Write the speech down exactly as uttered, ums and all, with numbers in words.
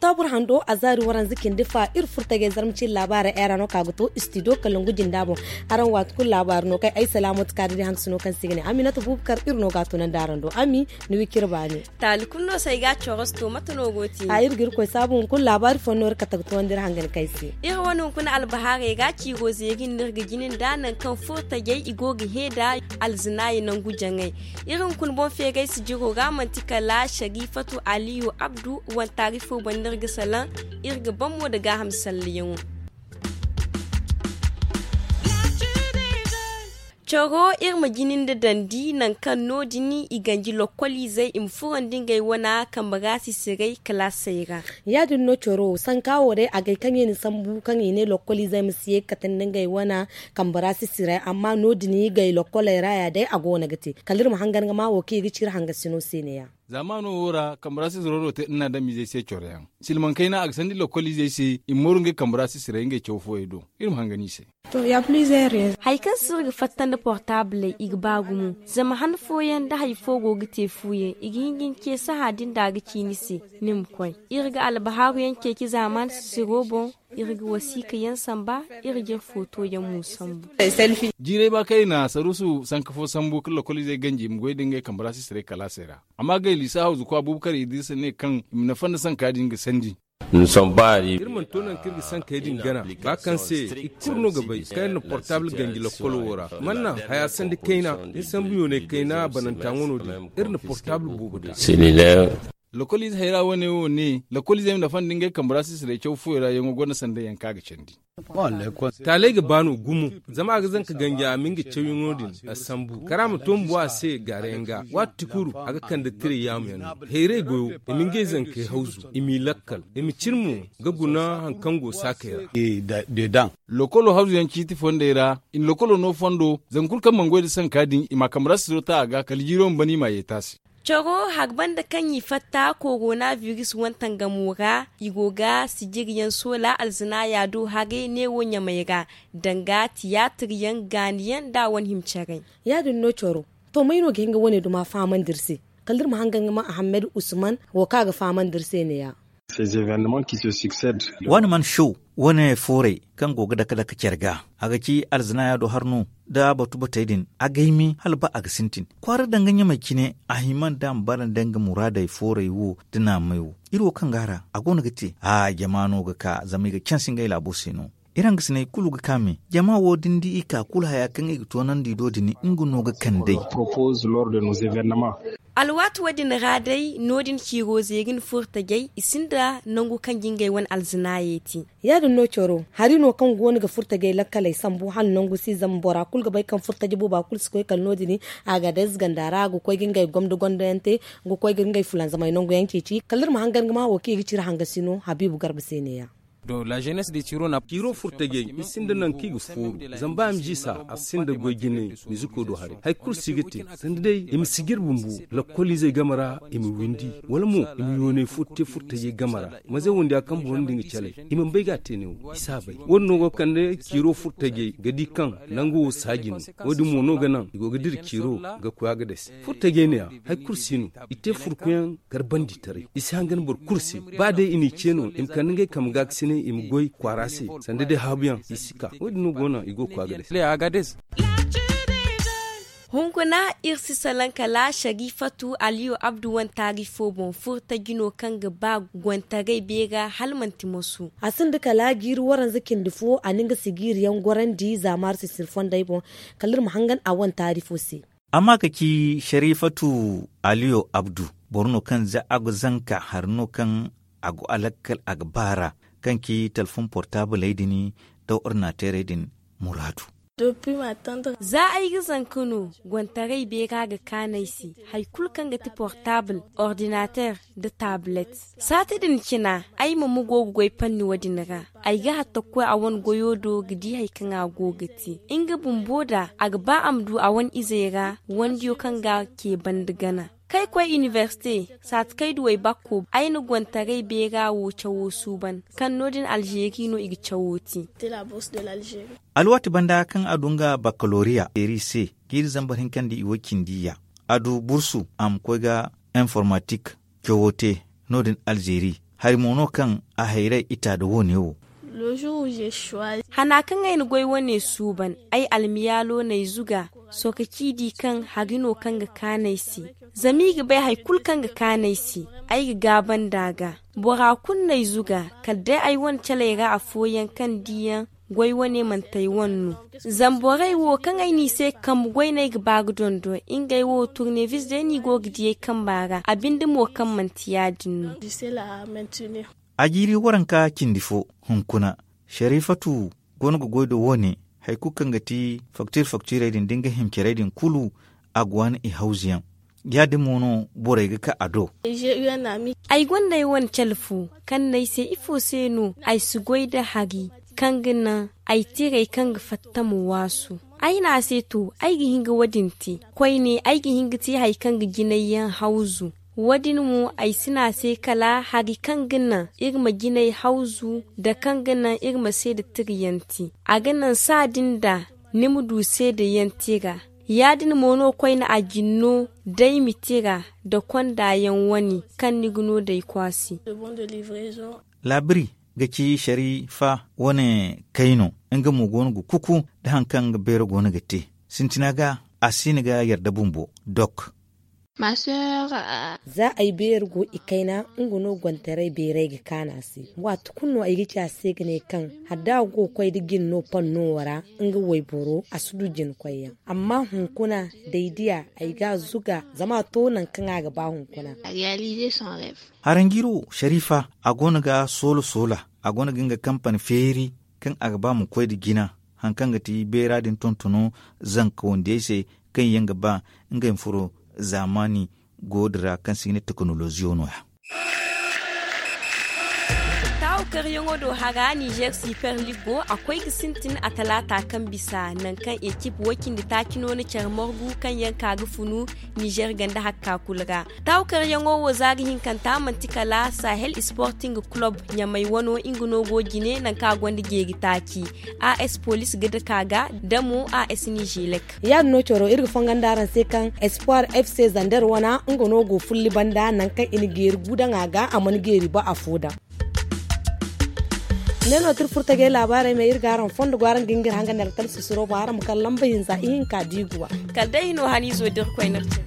Saabur hando a zaari waranza cindi fa iri furtajey zarma cine laabaarey ay ra no ka ga to istidiyo kalangu jinda boŋ. Araŋ waati kulu laabaari no kaŋ ay salaamatu kaadiri handu si no kaŋ se i ga ne aminata buubakar iri no ga a tunandi araŋ do ami. Ni wi cire baani. Taali kulu no se ay ga a corosto mate no go te? A iri ga iri koy saabu hunkuna laabaari fooyaŋ no iri kate ga towandi iri hangan kaŋ ay se. Iri wane hunkuna albahaarey ga ciiro zeeri no iri ga jina nda nangu kaŋ furtajey i go ga hee nda alzinaaya nangu jaŋay. Iri hunkuna boŋ feeray sijiro ra manti kala sarifatu aliyu abdu wanta rifo banda iri ga salaŋ. Iri ga ban mo nda gaaham sallayaŋo. Coro iri ma jini nda dandi nangu kaŋ no- din i ganji lokkoliizey i ma furandi ngey wana kambe ra sisiray kalaasey ra. Ya- din no coro sanka wo day agay kaŋ i na sambu kaŋ i ne lokkoliizey ma si ye ga kate nda ngey wana kambe ra sisiray amma no- din i gay lokkoley ra ya day a go no ga te kala iri ma hangan ga ma wo kaŋ i ga ci iri hangasino se ne- ya. Zaamaano wo ra kambe ra sisiro no te iri na a daŋ miizey se coro yaŋ silmaŋ kayna a ga sandi lokkoliizey se i ma mooru ngey kambe ra sisiray ngey caw fooyey do. Iri ma hangan i se. Hari kaŋ se iri ga fatta nda portaabiley i ga ba gumo. Zama han fooyaŋ da hari fo go ga te fuuyaŋ i ga hin ga ni ce saha din da a ga ci ni se, ni ma koy. Iri ga albahaaru yaŋ ceeci zaamaan sisiro boŋ. Iri ga wasiika yaŋ samba. Iri ga iri footo yaŋ mo sambu. Jiiray ba kaŋ i na saruusu sanka fo sambu ka lokoliizey ganji i ma goy nda ngey kambe ra sisiray kalaasey ra. Amma gay liisa hawzu kwa buubu kar idrisa ne kaŋ i ma nafa nda sanka din ga sandi. Iri mana to nangu kaŋ iri ga sankey din gana ba kaŋ se i kulu no ga bay kaŋ iri na portable ganji lakkolo wo ra. Mana haya sandi kayna iri sambu yoonay kayna bananta ŋwano din iri na portable boobo da. Lakkoliize hayra wane wo ne lakkoliizey ma nafa nda ngey kambe ra sisiray caw fooyaŋ ra yaŋo gonda sanday yaŋ kaŋ a ga candi. Taaley ga ba no gumo. Zama a ga zanka ganja a ma nga cawyaŋo din a sambu kara ma to ma bu a se gaarayaŋ ga waati kulu a ga kande tiray yaamu yaŋ no. Hayray goyo i ma ngey zankey hawzu i m'i lakkal i ma cine mo ga guna hari kaŋ go saakey ra. Lokolo hawzu yaŋ ciiti fondey ra i na lokolo no fondo zangu kulu kaŋ mana goy nda sanka din i ma a kambe ra sisiro ta a ga kala jiiro ma ban i m'a yeeti a se. Coro hari banda kaŋ i fatta korona biris wantangamo ra i go ga sijiriyaŋ soola alzinaaya do haray neewo ɲamey ra danga tiyaatiryaŋ gaaniyaŋ nda a wane hima caray. Ya- din no coro. To may no ga hin ga wane duma fahamandi iri se? Kala da iri ma hangan ga ma ahammad usman wo kaŋ a ga fahamandi iri se ne- ya. Wane man show wane fooray kaŋ go ga dake dake care ga a ga ci alzinaaya do har no da batu batey din a gaymi hala ba a ga sintin kwaara danga ɲamey cine. A hima nda a ma bara nda nga muraadey fooray wo da naamey wo. Iri wo kaŋ go a ra a go no ga te a jama no ga ka zama i ga canse ngey laabo se no. Iri hangasiney kulu ga ka me jama wo da ni di i ka kulu haya kaŋ i ga toonandi do din nga no ga kand'ey. Alwaati wo- din ra day no- din ciiro zeeri na furo tajay i sinda nangu kaŋ ga ngey wane alzinaayey te. Ya- din no coro hari no kaŋ go no ga furo tajay lakkaley sambu hala nangu si zama bora kulu ga bay kaŋ furo taji booba kulu si koy kala no- din. Agadez ganda ra a ga koy ga ngey gomdo gondo yaŋ te ga koy ga ngey fulanzamey nangu yaŋ ceeci kala iri ma hangan ga ma wo kaŋ i ga ci iri hangasi no habiibu garba se ne- ya. Ciiro furtajey i sinda nangu kaŋ i ga fooru zama ba i ma jiisa a sinda goy jinay miziko do haray hari kulu si ga te sanda day i ma si ga iri bumbo lakkoliizey game ra i ma windi wala mo i ma yoonay fo te furtajey game ra. Mazey wondiya kaŋ boro nda nga calay i mana bay ga a te neewo i si a bay wo- din no go ga kande ciiro furtajey ga di kaŋ nangu wo saaji no. Wo- din mo no ga naŋ i go ga dira ciiro ga koy a ga dase furtajey ne- ya. Hari kulu si no i te furkuyaŋ garbandi taray i si hangan boro kulu se. Ba day i n'i ce no i ma kande ngey kambe ga ga sine i ma goy kwaara se sanda day haabuyaŋ i si ka wo- din no go no i go ga koy a ga day. Hunkuna iri si salaŋ kala sarifatu aliyu abdu wane taari fo boŋ furtaji no kaŋ ga ba gontaray beera hala manti masu. A sinda kala jiiri waranza cindi fo a na nga sigiiri yaŋ gorandi zaamaari sisiri fondey boŋ. Kala iri ma hangan a wane taari fo se. Amma ka ci sarifatu aliyo abdu boro no kaŋ za a go zanka hari no kaŋ a go a lakkal a ga baara kaŋ ci talfon portaabiley din da ordinateerey din muraadu. Za ay ga zanka no gontaray beera ga kaanu ay se hari kulu kaŋ ga ti portaabil ordinateer da taabilet. Saati din cina ay ma ma go ga goy panni wo- din ra. Ay ga hatta ga koy a wane goyo do ga di hari kaŋ a go ga te nga bumbo da a ga ba a ma du a wane izey ra wandiyo kaŋ ga a ce banda gana kaŋ ay koy inibersite. Saati kaŋ ay du ay bakko ay na gontaray beera wo cawo suuban kaŋ no- din alzeeri no i ga cawo te. Alwaati banda kaŋ a du nga bakkaloriya zeeri se jiiri zambar hinkandi i wo cindi ya a du bursu a ma koy ga informatik cawo te. No- din alzeeri. Hari mo no kaŋ a hayray ita da wo-ne wo. Hana kaŋ ay na goy wane suuban, ay almiyaalo n'ay zuga. Sohõ ka ci di kaŋ hari no kaŋ ga kaanu ay se. Zama i ga bay hari kulu kaŋ ga kaanu ay se, ay ga gaaba nd'a ga. Bora kulu n'ay zuga, kala day ay wane caley ra afooyaŋ kaŋ diyaŋ goy wane manti ay wane no. Zama borey wo kaŋ ay n'i se ga kambe goy no ay ga ba ga dondon, ngey wo turnevis day no i go ga di ay kamba ra, a binde mo kaŋ manti ya-din no. A jiiri waranka cindi fo, hunkuna, Sharifatu go no ga goy da wo-ne. Hari kulu kaŋ ga ti faktiir faktiirey din da nga himcerey din kulu, a ga waani i hawzuyaŋ. Ya-din mo no borey ga ka a do. Ay gonda ay wane cale fo kaŋ n'ay se ifo se no ay si goy da hari kaŋ ga naŋ ay tirey kaŋ ga fatta ma waasu. Ay ne a se to, ay ga hin ga wo-din te. Koyne ay ga hin ga te hari kaŋ ga jinay yaŋ hawzu. Wo-din mo ay si ne a se kala hari kaŋ ga naŋ iri ma jinay hawzu, nda kaŋ ga naŋ iri ma seeda tirayaŋ te. A ga naŋ saadin da ni ma du seedayaŋ tira. Ya-din mo no koyne a jin no day ma tira nda kondayaŋ wane kaŋ ni ga no day kwaasi. Laabiri ga ci Sharifa wane kayno. Nga mo go no ga kuku nda hari kaŋ nga beero go no ga te. Sintina ga a si no ga yarda bumbo. Dok. Za ay beeri go i kayna, nga no gontaray beeray ga kaanu a se. Waati kulu no ay ga ci a se ga ne kaŋ hala da a go ga koy da jin no panno wo ra, nga wayboro a si du jin koyyaŋ. Amma hunkuna, da ay diya, ay ga a zuga zama a to nangu kaŋ a ga ba hunkuna. Haranjiro sharifa, a go no ga soola soola. A go no ga nga kampani feeri kaŋ a ga ba ma koy nda jina. Hari kaŋ ga ti beera din tontono zanka wandiyey se, kaŋ yaŋ ga ba ngey ma furo zaamaani go din ra kaŋ se i ga ne tekinoloziyo no- ya. Taawu karyaŋo do hara nizer siper lig go a koy ga sintin a talaata kaŋ bisa nangu kaŋ ekip way-cindi taaci no na care margu kaŋ yaŋ ka ga funu nizer ganda hakka kulu ra. Taawu karyaŋo wo za ga hinkanta manti kala sahel sporting club ɲamay wano nga no go jine nangu kaŋ a gonda jeeri taaci. As police ga dake a ga da mo as nizelek. Ya- din no coro iri ga fongon da araŋ se kaŋ espoir fc zander wana nga no go fulli banda nangu kaŋ i na jeeri gudaŋ a ga a mana jeeri ba afo daŋ. Ne no tira furtajey laabaarey me iri ga araŋ fondo go araŋ ga hin ga iri hanga ne alkal susuro boŋ araŋ ma kala lamba hinza ihinka diiguwa. Kala day i no haniizo da iri koy no ga cine.